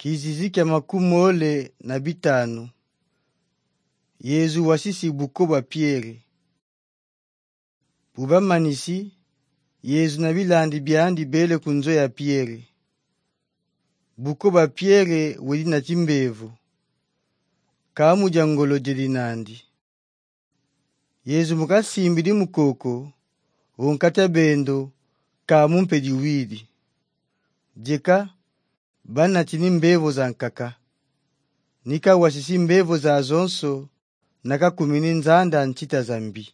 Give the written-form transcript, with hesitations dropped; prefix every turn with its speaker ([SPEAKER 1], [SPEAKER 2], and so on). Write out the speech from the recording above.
[SPEAKER 1] Kizizi kya makumole na bitanu. Yezu wasisi bukoba Pierre. Bubamanisi, Yezu na bilandi byandi bele kunzo ya Pierre. Bukoba Pierre weli na chimbevu. Kamu jangolo jelinandi. Yezu mukasimbili mukoko, wonkata bendo, kamu mpediwili. Jeka, bana chini mbevo za nkaka. Nika wasisi mbevo za zonso, naka kumini nzanda nchita zambi.